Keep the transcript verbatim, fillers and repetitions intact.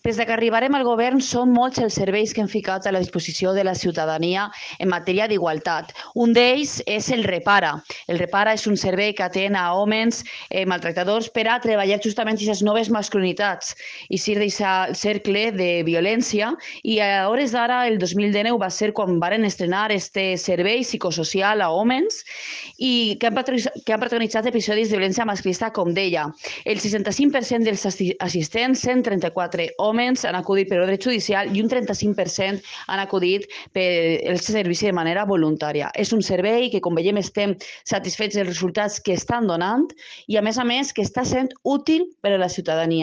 Des que arribarem al govern són molts els serveis que hem ficat a la disposició de la ciutadania en matèria d'igualtat. Un d'ells és el Repara. El Repara és un servei que atén a homes eh, maltractadors per a treballar justament aquestes noves masculinitats i ser d'aquest cercle de violència. I a hores d'ara, el dos mil dinou, va ser quan varen estrenar este servei psicosocial a homes i que han, que han protagonitzat episodis de violència masclista, com deia. El seixanta-cinc per cent dels assistents, cent trenta-quatre homes, han acudit per ordre judicial i un trenta-cinc per cent han acudit per el servici de manera voluntària. És un servei que, com veiem, estem satisfets dels resultats que estan donant i, a més a més, que està sent útil per a la ciutadania.